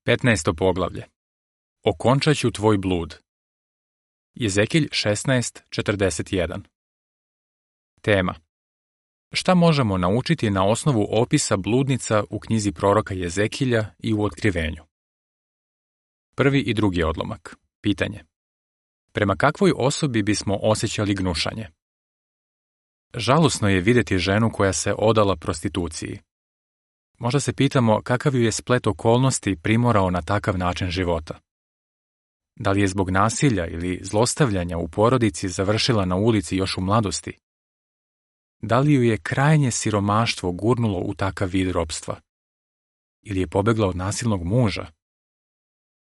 15. poglavlje. Okončat ću tvoj blud. Jezekilj 16:41. Tema. Šta možemo naučiti na osnovu opisa bludnica u knjizi proroka Jezekilja i u Otkrivenju? Prvi i drugi odlomak. Pitanje. Prema kakvoj osobi bismo osjećali gnušanje? Žalosno je vidjeti ženu koja se odala prostituciji. Možda se pitamo kakav ju je splet okolnosti primorao na takav način života. Da li je zbog nasilja ili zlostavljanja u porodici završila na ulici još u mladosti? Da li ju je krajnje siromaštvo gurnulo u takav vid ropstva? Ili je pobegla od nasilnog muža?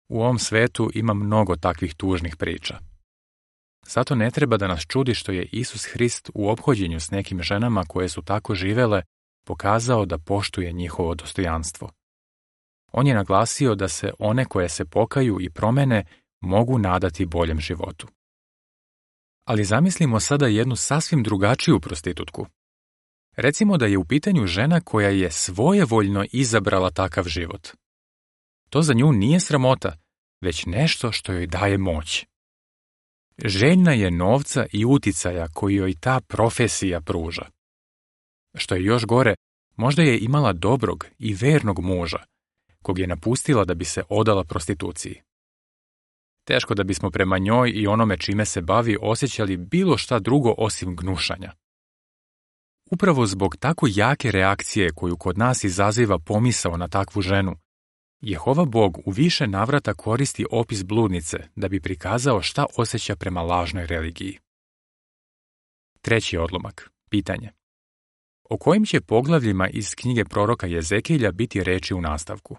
U ovom svetu ima mnogo takvih tužnih priča. Zato ne treba da nas čudi što je Isus Hrist u ophođenju s nekim ženama koje su tako živele pokazao da poštuje njihovo dostojanstvo. On je naglasio da se one koje se pokaju i promene mogu nadati boljem životu. Ali zamislimo sada jednu sasvim drugačiju prostitutku. Recimo da je u pitanju žena koja je svojevoljno izabrala takav život. To za nju nije sramota, već nešto što joj daje moć. Željna je novca i uticaja koji joj ta profesija pruža. Što je još gore, možda je imala dobrog i vernog muža, kog je napustila da bi se odala prostituciji. Teško da bismo prema njoj i onome čime se bavi osjećali bilo šta drugo osim gnušanja. Upravo zbog tako jake reakcije koju kod nas izaziva pomisao na takvu ženu, Jehova Bog u više navrata koristi opis bludnice da bi prikazao šta osjeća prema lažnoj religiji. Treći odlomak. Pitanje. O kojim će poglavljima iz knjige proroka Jezekilja biti reči u nastavku?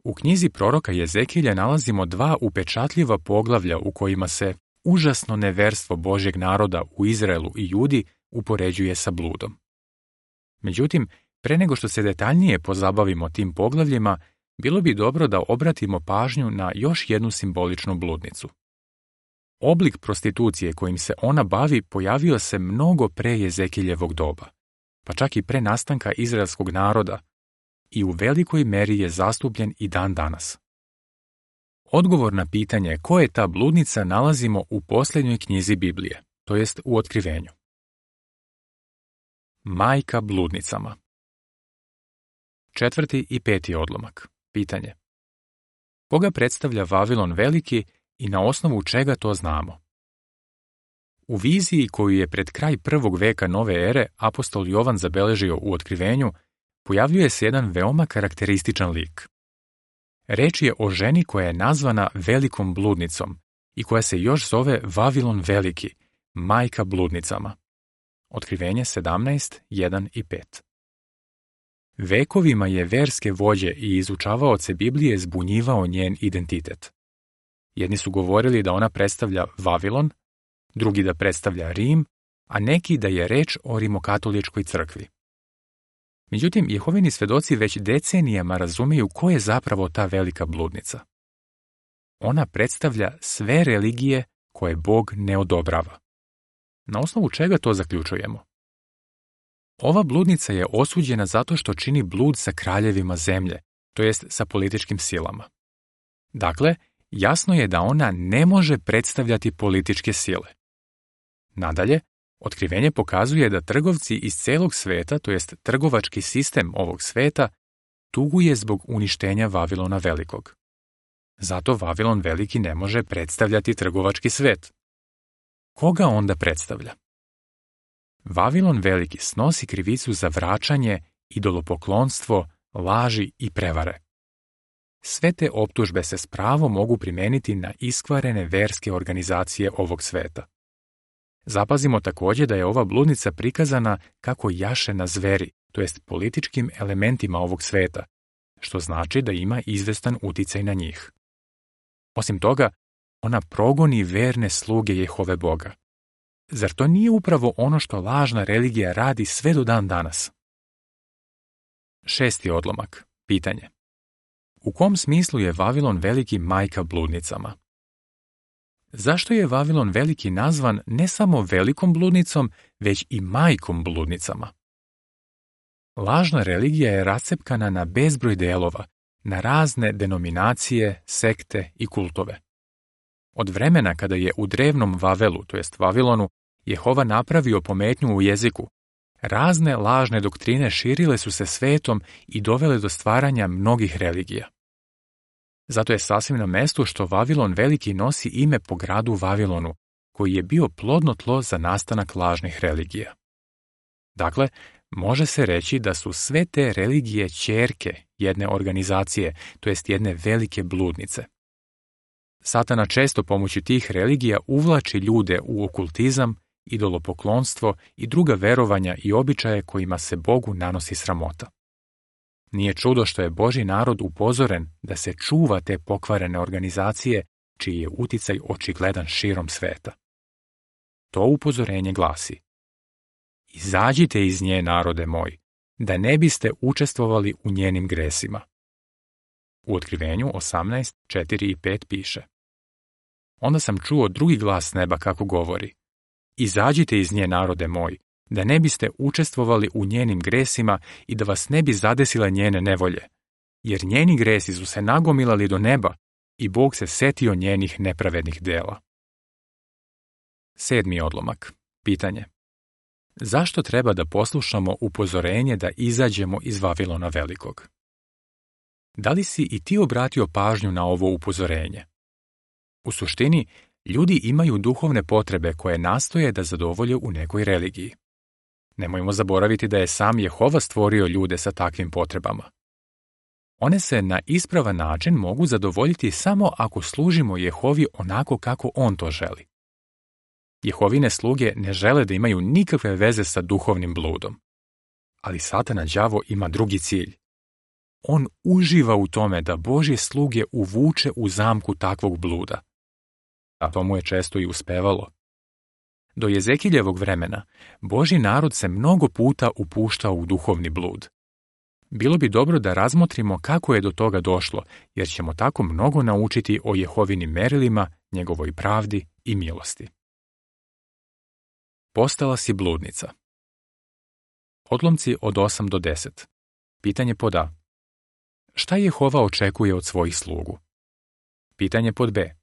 U knjizi proroka Jezekilja nalazimo dva upečatljiva poglavlja u kojima se užasno neverstvo Božjeg naroda u Izraelu i Judi upoređuje sa bludom. Međutim, pre nego što se detaljnije pozabavimo tim poglavljima, bilo bi dobro da obratimo pažnju na još jednu simboličnu bludnicu. Oblik prostitucije kojim se ona bavi pojavio se mnogo pre Jezekiljevog doba, pa čak i pre nastanka izraelskog naroda, i u velikoj meri je zastupljen i dan danas. Odgovor na pitanje ko je ta bludnica nalazimo u posljednjoj knjizi Biblije, to jest u Otkrivenju. Majka bludnicama. Četvrti i peti odlomak. Pitanje. Koga predstavlja Vavilon Veliki i na osnovu čega to znamo? U viziji koju je pred kraj 1. veka nove ere apostol Jovan zabeležio u Otkrivenju, pojavljuje se jedan veoma karakterističan lik. Reč je o ženi koja je nazvana velikom bludnicom i koja se još zove Vavilon Veliki, majka bludnicama. Otkrivenje 17:1 i 5. Vekovima je verske vođe i izučavaoce Biblije zbunjivao njen identitet. Jedni su govorili da ona predstavlja Vavilon, drugi da predstavlja Rim, a neki da je reč o rimokatoličkoj crkvi. Međutim, Jehovini svedoci već decenijama razumiju ko je zapravo ta velika bludnica. Ona predstavlja sve religije koje Bog ne odobrava. Na osnovu čega to zaključujemo? Ova bludnica je osuđena zato što čini blud sa kraljevima zemlje, to jest sa političkim silama. Dakle, jasno je da ona ne može predstavljati političke sile. Nadalje, Otkrivenje pokazuje da trgovci iz celog sveta, to jest trgovački sistem ovog sveta, tuguje zbog uništenja Vavilona Velikog. Zato Vavilon Veliki ne može predstavljati trgovački svet. Koga onda predstavlja? Vavilon Veliki snosi krivicu za vraćanje, idolopoklonstvo, laži i prevare. Sve te optužbe se s pravom mogu primeniti na iskvarene verske organizacije ovog sveta. Zapazimo također da je ova bludnica prikazana kako jaše na zveri, to jest političkim elementima ovog sveta, što znači da ima izvestan uticaj na njih. Osim toga, ona progoni verne sluge Jehove Boga. Zar to nije upravo ono što lažna religija radi sve do dan danas? Šesti odlomak. Pitanje. U kom smislu je Vavilon Veliki majka bludnicama? Zašto je Vavilon Veliki nazvan ne samo velikom bludnicom, već i majkom bludnicama? Lažna religija je rascepkana na bezbroj delova, na razne denominacije, sekte i kultove. Od vremena kada je u drevnom Vavelu, to jest Vavilonu, Jehova napravio pometnju u jeziku, razne lažne doktrine širile su se svetom i dovele do stvaranja mnogih religija. Zato je sasvim na mestu što Vavilon veliki nosi ime po gradu Vavilonu, koji je bio plodno tlo za nastanak lažnih religija. Dakle, može se reći da su sve te religije ćerke jedne organizacije, to jest jedne velike bludnice. Satana često pomoću tih religija uvlači ljude u okultizam, idolopoklonstvo i druga verovanja i običaje kojima se Bogu nanosi sramota. Nije čudo što je Božji narod upozoren da se čuva te pokvarene organizacije čiji je uticaj očigledan širom sveta. To upozorenje glasi: Izađite iz nje, narode moj, da ne biste učestvovali u njenim gresima. U Otkrivenju 18, 4 i 5 piše: Onda sam čuo drugi glas s neba kako govori: Izađite iz nje, narode moj, da ne biste učestvovali u njenim gresima i da vas ne bi zadesile njene nevolje, jer njeni gresi su se nagomilali do neba i Bog se setio njenih nepravednih dela. 7. odlomak. Pitanje: zašto treba da poslušamo upozorenje da izađemo iz Vavilona velikog? Da li si i ti obratio pažnju na ovo upozorenje? U suštini, ljudi imaju duhovne potrebe koje nastoje da zadovolje u nekoj religiji. Nemojmo zaboraviti da je sam Jehova stvorio ljude sa takvim potrebama. One se na ispravan način mogu zadovoljiti samo ako služimo Jehovi onako kako on to želi. Jehovine sluge ne žele da imaju nikakve veze sa duhovnim bludom. Ali Satana đavo ima drugi cilj. On uživa u tome da Božje sluge uvuče u zamku takvog bluda. A to mu je često i uspevalo. Do Jezekiljevog vremena Božji narod se mnogo puta upuštao u duhovni blud. Bilo bi dobro da razmotrimo kako je do toga došlo, jer ćemo tako mnogo naučiti o Jehovinim merilima, njegovoj pravdi i milosti. Postala si bludnica. Odlomci od 8 do 10. Pitanje pod A. Šta Jehova očekuje od svojih slugu? Pitanje pod B.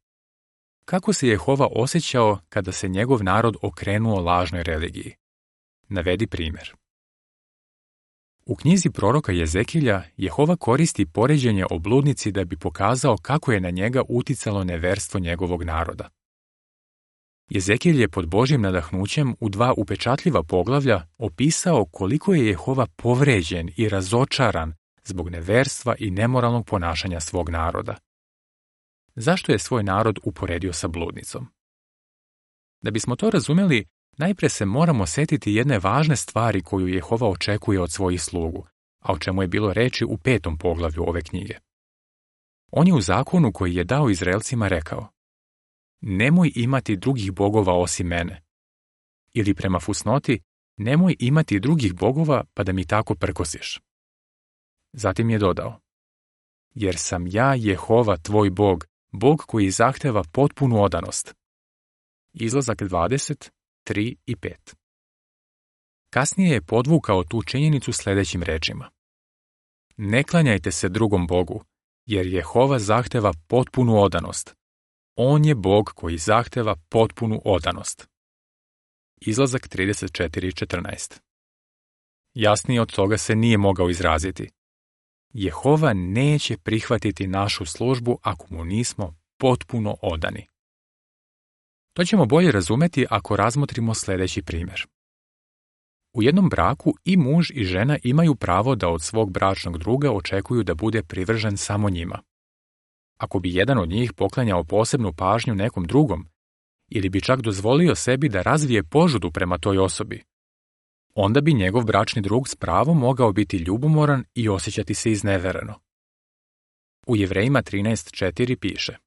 Kako se Jehova osjećao kada se njegov narod okrenuo lažnoj religiji? Navedi primjer. U knjizi proroka Jezekilja Jehova koristi poređenje o bludnici da bi pokazao kako je na njega uticalo neverstvo njegovog naroda. Jezekilj je pod Božjim nadahnućem u 2 upečatljiva poglavlja opisao koliko je Jehova povređen i razočaran zbog neverstva i nemoralnog ponašanja svog naroda. Zašto je svoj narod uporedio sa bludnicom? Da bismo to razumjeli, najpre se moramo setiti jedne važne stvari koju Jehova očekuje od svojih slugu, a o čemu je bilo reči u 5. poglavlju ove knjige. On je u zakonu koji je dao Izraelcima rekao: Nemoj imati drugih bogova osim mene. Ili prema fusnoti, nemoj imati drugih bogova pa da mi tako prkosiš. Zatim je dodao: Jer sam ja Jehova tvoj Bog, Bog koji zahteva potpunu odanost. Izlazak 20, 3 i 5. Kasnije je podvukao tu činjenicu sljedećim rečima: Ne klanjajte se drugom Bogu, jer Jehova zahteva potpunu odanost. On je Bog koji zahteva potpunu odanost. Izlazak 34:14. Jasnije od toga se nije mogao izraziti. Jehova neće prihvatiti našu službu ako mu nismo potpuno odani. To ćemo bolje razumeti ako razmotrimo sljedeći primjer. U jednom braku i muž i žena imaju pravo da od svog bračnog druga očekuju da bude privržen samo njima. Ako bi jedan od njih poklanjao posebnu pažnju nekom drugom, ili bi čak dozvolio sebi da razvije požudu prema toj osobi, onda bi njegov bračni drug s pravom mogao biti ljubomoran i osjećati se iznevereno. U Jevrejima 13:4 piše: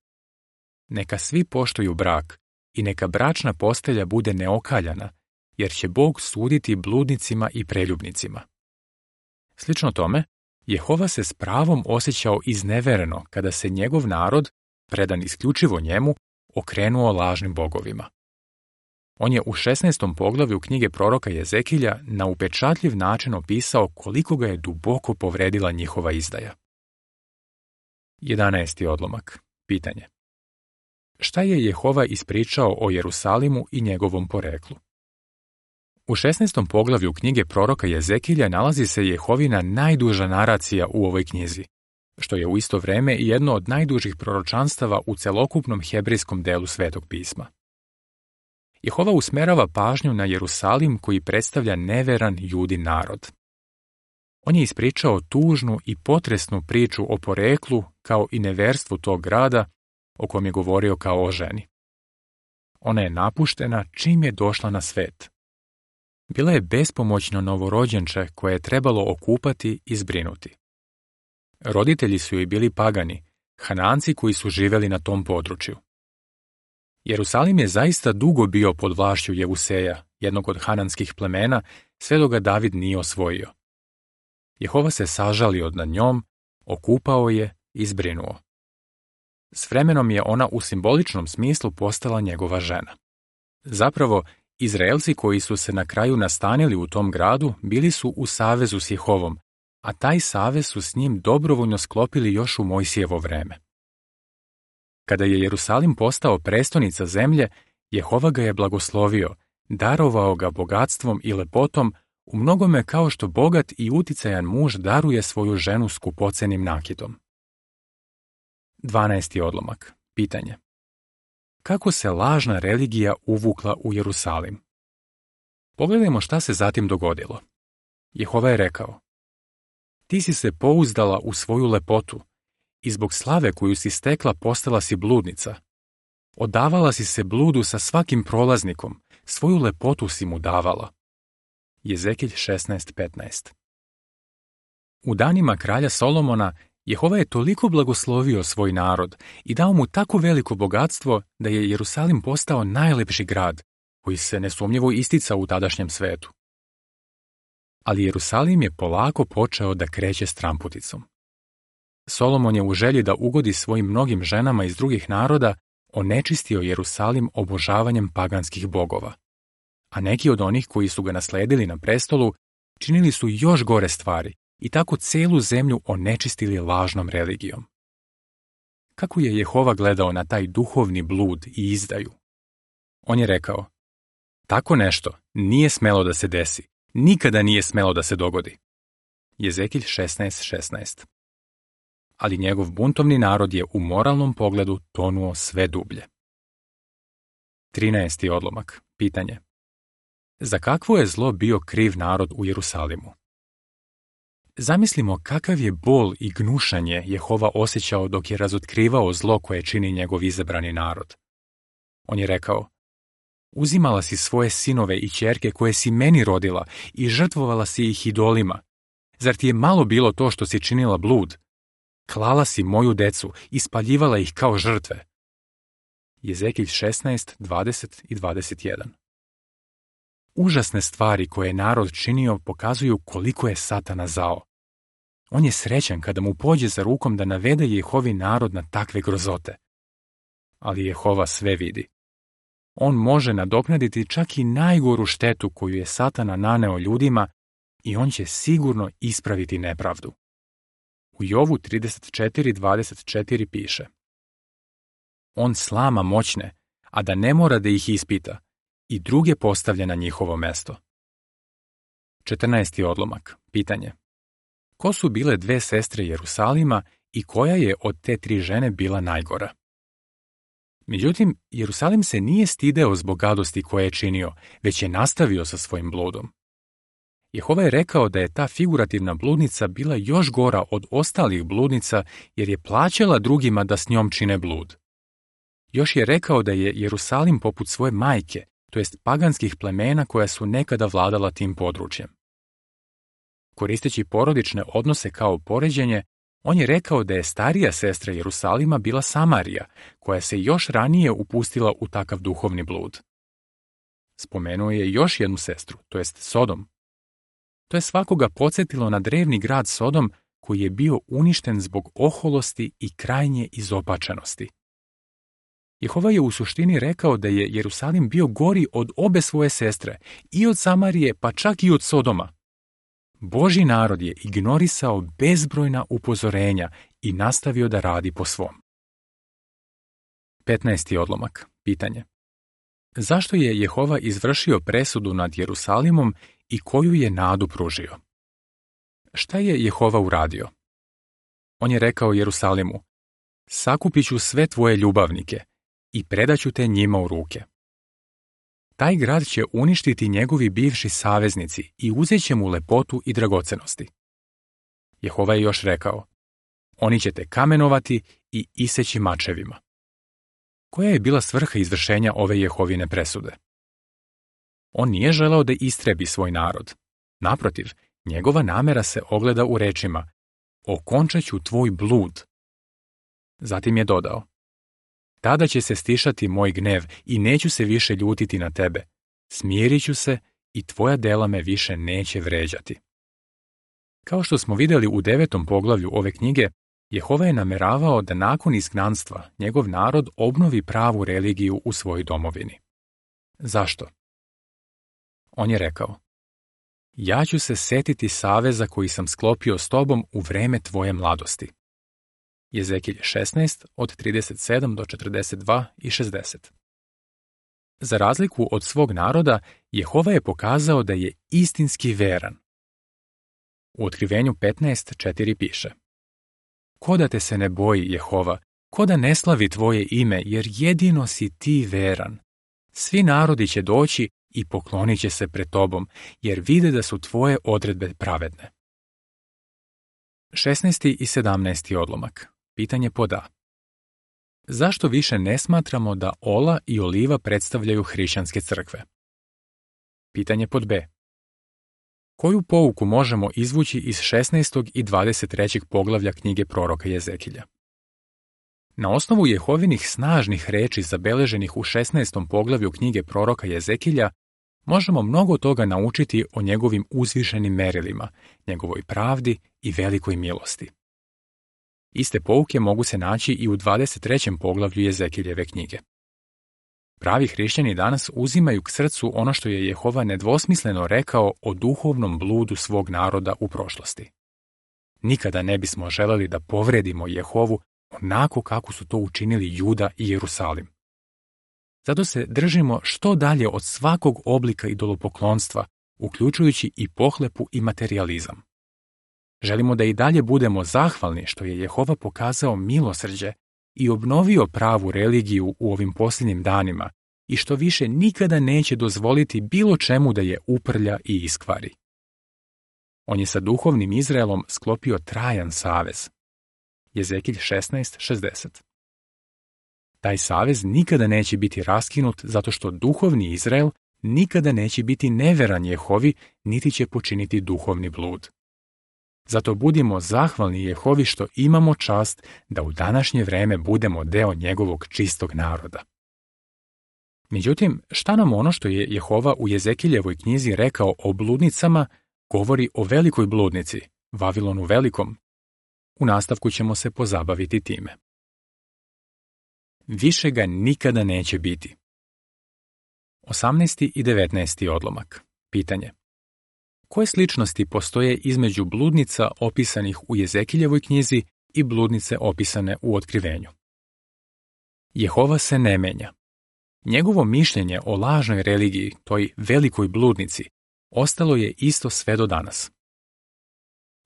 Neka svi poštuju brak i neka bračna postelja bude neokaljana, jer će Bog suditi bludnicima i preljubnicima. Slično tome, Jehova se s pravom osjećao iznevereno kada se njegov narod, predan isključivo njemu, okrenuo lažnim bogovima. On je u 16. poglavlju knjige proroka Jezekilja na upečatljiv način opisao koliko ga je duboko povredila njihova izdaja. 11. odlomak. Pitanje. Šta je Jehova ispričao o Jerusalimu i njegovom poreklu? U 16. poglavlju knjige proroka Jezekilja nalazi se Jehovina najduža naracija u ovoj knjizi, što je u isto vreme i jedno od najdužih proročanstava u celokupnom hebrejskom delu Svetog pisma. Jehova usmerava pažnju na Jerusalim koji predstavlja neveran Judin narod. On je ispričao tužnu i potresnu priču o poreklu kao i neverstvu tog grada o kom je govorio kao o ženi. Ona je napuštena čim je došla na svet. Bila je bespomoćno novorođenče koje je trebalo okupati i zbrinuti. Roditelji su joj bili pagani, Hananci koji su živeli na tom području. Jerusalim je zaista dugo bio pod vlašću Jevuseja, jednog od hananskih plemena, sve dok ga David nije osvojio. Jehova se sažalio nad njom, okupao je i zbrinuo. S vremenom je ona u simboličnom smislu postala njegova žena. Zapravo, Izraelci koji su se na kraju nastanili u tom gradu bili su u savezu s Jehovom, a taj savez su s njim dobrovoljno sklopili još u Mojsijevo vreme. Kada je Jerusalim postao prestonica zemlje, Jehova ga je blagoslovio, darovao ga bogatstvom i lepotom, u mnogome kao što bogat i uticajan muž daruje svoju ženu skupocenim nakitom. 12. odlomak. Pitanje. Kako se lažna religija uvukla u Jerusalim? Pogledajmo šta se zatim dogodilo. Jehova je rekao: Ti si se pouzdala u svoju lepotu i zbog slave koju si stekla postala si bludnica. Odavala si se bludu sa svakim prolaznikom, svoju lepotu si mu davala. Jezekilj 16:15. U danima kralja Solomona Jehova je toliko blagoslovio svoj narod i dao mu tako veliko bogatstvo da je Jerusalim postao najlepši grad, koji se nesumnjivo isticao u tadašnjem svetu. Ali Jerusalim je polako počeo da kreće stramputicom. Solomon je u želji da ugodi svojim mnogim ženama iz drugih naroda onečistio Jerusalim obožavanjem paganskih bogova. A neki od onih koji su ga nasledili na prestolu činili su još gore stvari i tako celu zemlju onečistili lažnom religijom. Kako je Jehova gledao na taj duhovni blud i izdaju? On je rekao: Tako nešto nije smelo da se desi, nikada nije smelo da se dogodi. Jezekilj 16:16. Ali njegov buntovni narod je u moralnom pogledu tonuo sve dublje. 13. odlomak. Pitanje. Za kakvo je zlo bio kriv narod u Jerusalimu? Zamislimo kakav je bol i gnušanje Jehova osjećao dok je razotkrivao zlo koje čini njegov izabrani narod. On je rekao: Uzimala si svoje sinove i ćerke koje si meni rodila i žrtvovala si ih idolima. Zar ti je malo bilo to što si činila blud? Klala si moju decu i spaljivala ih kao žrtve. Jezekilj 16:20 i 21. Užasne stvari koje je narod činio pokazuju koliko je Satana zao. On je srećan kada mu pođe za rukom da navede Jehovi narod na takve grozote. Ali Jehova sve vidi. On može nadoknaditi čak i najgoru štetu koju je Satana naneo ljudima i on će sigurno ispraviti nepravdu. U Jovu 34:24 piše: On slama moćne, a da ne mora da ih ispita, i druge postavlja na njihovo mesto. 14. odlomak. Pitanje. Ko su bile dve sestre Jerusalima i koja je od te tri žene bila najgora? Međutim, Jerusalim se nije stideo zbog gadosti koje je činio, već je nastavio sa svojim bludom. Jehova je rekao da je ta figurativna bludnica bila još gora od ostalih bludnica jer je plaćala drugima da s njom čine blud. Još je rekao da je Jerusalim poput svoje majke, to jest paganskih plemena koja su nekada vladala tim područjem. Koristeći porodične odnose kao poređenje, on je rekao da je starija sestra Jerusalima bila Samarija, koja se još ranije upustila u takav duhovni blud. Spomenuo je još jednu sestru, to jest Sodom. To je svakoga podsjetilo na drevni grad Sodom koji je bio uništen zbog oholosti i krajnje izopačenosti. Jehova je u suštini rekao da je Jerusalim bio gori od obe svoje sestre, i od Samarije pa čak i od Sodoma. Božji narod je ignorisao bezbrojna upozorenja i nastavio da radi po svom. 15. odlomak. Pitanje. Zašto je Jehova izvršio presudu nad Jerusalimom i koju je nadu pružio? Šta je Jehova uradio? On je rekao Jerusalimu: sakupit ću sve tvoje ljubavnike i predaću te njima u ruke. Taj grad će uništiti njegovi bivši saveznici i uzet će mu lepotu i dragocenosti. Jehova je još rekao: oni će te kamenovati i iseći mačevima. Koja je bila svrha izvršenja ove Jehovine presude? On nije želeo da istrebi svoj narod. Naprotiv, njegova namera se ogleda u rečima: okončat ću tvoj blud. Zatim je dodao: tada će se stišati moj gnev i neću se više ljutiti na tebe. Smirit ću se i tvoja dela me više neće vređati. Kao što smo vidjeli u 9. poglavlju ove knjige, Jehova je nameravao da nakon izgnanstva njegov narod obnovi pravu religiju u svojoj domovini. Zašto? On je rekao: ja ću se setiti saveza koji sam sklopio s tobom u vreme tvoje mladosti. Jezekilj 16 od 37 do 42 i 60. Za razliku od svog naroda, Jehova je pokazao da je istinski veran. U Otkrivenju 15:4 piše: ko da te se ne boji, Jehova, ko da ne slavi tvoje ime, jer jedino si ti veran. Svi narodi će doći i poklonit će se pred tobom, jer vide da su tvoje odredbe pravedne. 16. i 17. odlomak. Pitanje pod A. Zašto više ne smatramo da ola i oliva predstavljaju hrišćanske crkve? Pitanje pod B. Koju pouku možemo izvući iz 16. i 23. poglavlja knjige proroka Jezekilja? Na osnovu Jehovinih snažnih reči zabeleženih u 16. poglavlju knjige proroka Jezekilja, možemo mnogo toga naučiti o njegovim uzvišenim merilima, njegovoj pravdi i velikoj milosti. Iste pouke mogu se naći i u 23. poglavlju Jezekiljeve knjige. Pravi hrišćani danas uzimaju k srcu ono što je Jehova nedvosmisleno rekao o duhovnom bludu svog naroda u prošlosti. Nikada ne bismo želeli da povredimo Jehovu onako kako su to učinili Juda i Jerusalim. Zato se držimo što dalje od svakog oblika idolopoklonstva, uključujući i pohlepu i materijalizam. Želimo da i dalje budemo zahvalni što je Jehova pokazao milosrđe i obnovio pravu religiju u ovim posljednjim danima i što više nikada neće dozvoliti bilo čemu da je uprlja i iskvari. On je sa duhovnim Izraelom sklopio trajan savez. Jezekilj 16:60. Taj savez nikada neće biti raskinut zato što duhovni Izrael nikada neće biti neveran Jehovi niti će počiniti duhovni blud. Zato budimo zahvalni Jehovi što imamo čast da u današnje vreme budemo deo njegovog čistog naroda. Međutim, šta nam ono što je Jehova u Jezekiljevoj knjizi rekao o bludnicama govori o velikoj bludnici, Vavilonu Velikom? U nastavku ćemo se pozabaviti time. Više ga nikada neće biti. 18. i 19. odlomak. Pitanje. Koje sličnosti postoje između bludnica opisanih u Jezekiljevoj knjizi i bludnice opisane u Otkrivenju? Jehova se ne menja. Njegovo mišljenje o lažnoj religiji, toj velikoj bludnici, ostalo je isto sve do danas.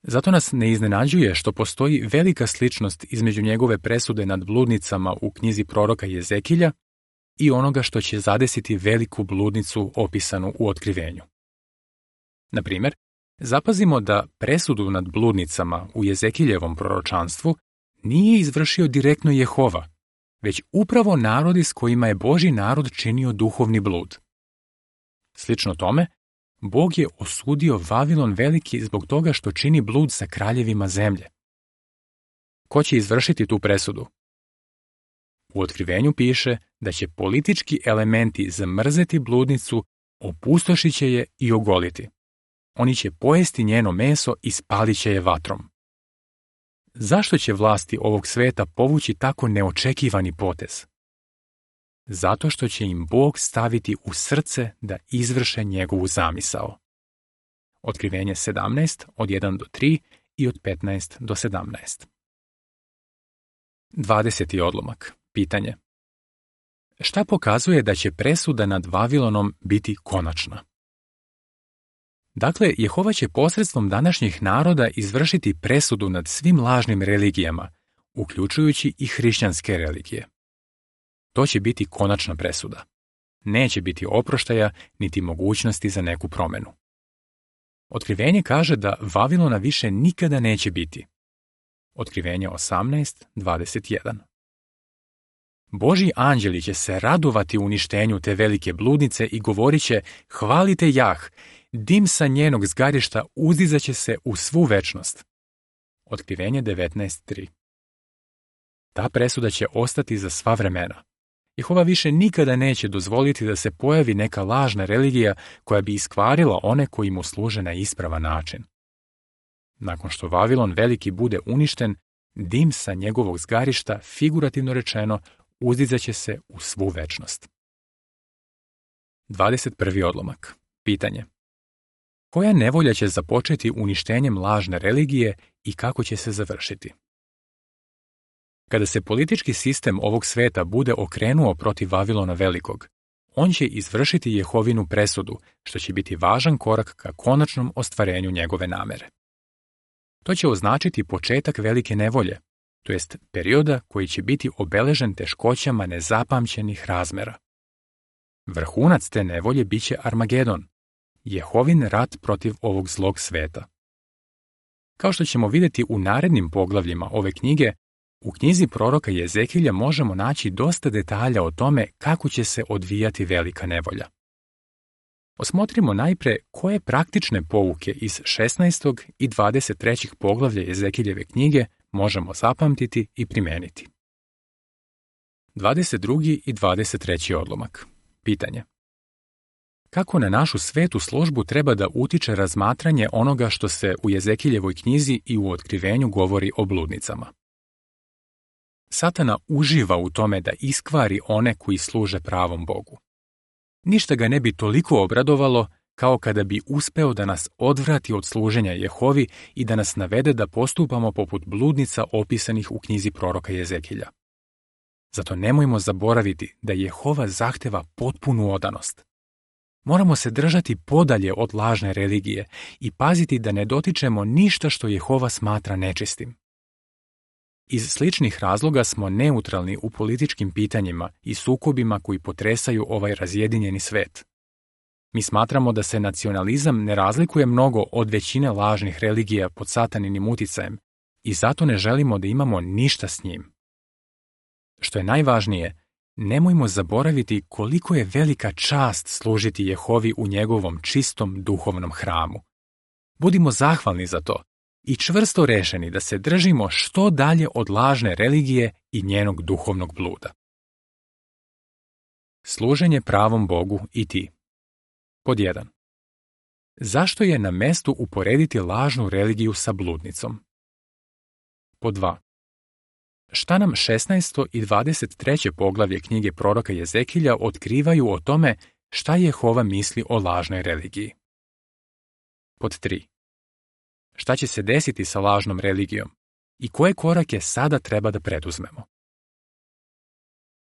Zato nas ne iznenađuje što postoji velika sličnost između njegove presude nad bludnicama u knjizi proroka Jezekilja i onoga što će zadesiti veliku bludnicu opisanu u Otkrivenju. Na primjer, zapazimo da presudu nad bludnicama u Jezekiljevom proročanstvu nije izvršio direktno Jehova, već upravo narodi s kojima je Božji narod činio duhovni blud. Slično tome, Bog je osudio Vavilon Veliki zbog toga što čini blud sa kraljevima zemlje. Ko će izvršiti tu presudu? U Otkrivenju piše da će politički elementi zamrzeti bludnicu, opustošit će je i ogoliti. Oni će pojesti njeno meso i spalit će je vatrom. Zašto će vlasti ovog sveta povući tako neočekivani potez? Zato što će im Bog staviti u srce da izvrše njegovu zamisao. Otkrivenje 17 od 1 do 3 i od 15 do 17. 20. odlomak. Pitanje. Šta pokazuje da će presuda nad Vavilonom biti konačna? Dakle, Jehova će posredstvom današnjih naroda izvršiti presudu nad svim lažnim religijama, uključujući i hrišćanske religije. To će biti konačna presuda. Neće biti oproštaja niti mogućnosti za neku promenu. Otkrivenje kaže da Vavilona više nikada neće biti. Otkrivenje 18:21. Božji anđeli će se radovati uništenju te velike bludnice i govorit će: hvalite Jah, dim sa njenog zgarišta uzdizaće se u svu večnost. Otkrivenje 19:3. Ta presuda će ostati za sva vremena. Jehova više nikada neće dozvoliti da se pojavi neka lažna religija koja bi iskvarila one koji mu služe na ispravan način. Nakon što Vavilon veliki bude uništen, dim sa njegovog zgarišta, figurativno rečeno, uzdizaće se u svu večnost. 21. odlomak. Pitanje. Koja nevolja će započeti uništenjem lažne religije i kako će se završiti? Kada se politički sistem ovog sveta bude okrenuo protiv Vavilona velikog, on će izvršiti Jehovinu presudu, što će biti važan korak ka konačnom ostvarenju njegove namere. To će označiti početak velike nevolje, to jest perioda koji će biti obeležen teškoćama nezapamćenih razmera. Vrhunac te nevolje biće Armagedon, Jehovin rat protiv ovog zlog sveta. Kao što ćemo vidjeti u narednim poglavljima ove knjige, u knjizi proroka Jezekilja možemo naći dosta detalja o tome kako će se odvijati velika nevolja. Osmotrimo najpre koje praktične pouke iz 16. i 23. poglavlja Jezekiljeve knjige možemo zapamtiti i primeniti. 22. i 23. odlomak. Pitanje. Kako na našu svetu službu treba da utiče razmatranje onoga što se u Jezekiljevoj knjizi i u otkrivenju govori o bludnicama? Satana uživa u tome da iskvari one koji služe pravom Bogu. Ništa ga ne bi toliko obradovalo kao kada bi uspeo da nas odvrati od služenja Jehovi i da nas navede da postupamo poput bludnica opisanih u knjizi proroka Jezekilja. Zato nemojmo zaboraviti da Jehova zahteva potpunu odanost. Moramo se držati podalje od lažne religije i paziti da ne dotičemo ništa što Jehova smatra nečistim. Iz sličnih razloga smo neutralni u političkim pitanjima i sukobima koji potresaju ovaj razjedinjeni svet. Mi smatramo da se nacionalizam ne razlikuje mnogo od većine lažnih religija pod sataninim uticajem i zato ne želimo da imamo ništa s njim. Što je najvažnije, nemojmo zaboraviti koliko je velika čast služiti Jehovi u njegovom čistom duhovnom hramu. Budimo zahvalni za to i čvrsto rešeni da se držimo što dalje od lažne religije i njenog duhovnog bluda. Služenje pravom Bogu i ti. Pod 1. Zašto je na mestu uporediti lažnu religiju sa bludnicom? Pod 2. Šta nam 16. i 23. poglavlje knjige proroka Jezekilja otkrivaju o tome šta Jehova misli o lažnoj religiji? Pod 3. Šta će se desiti sa lažnom religijom i koje korake sada treba da preduzmemo?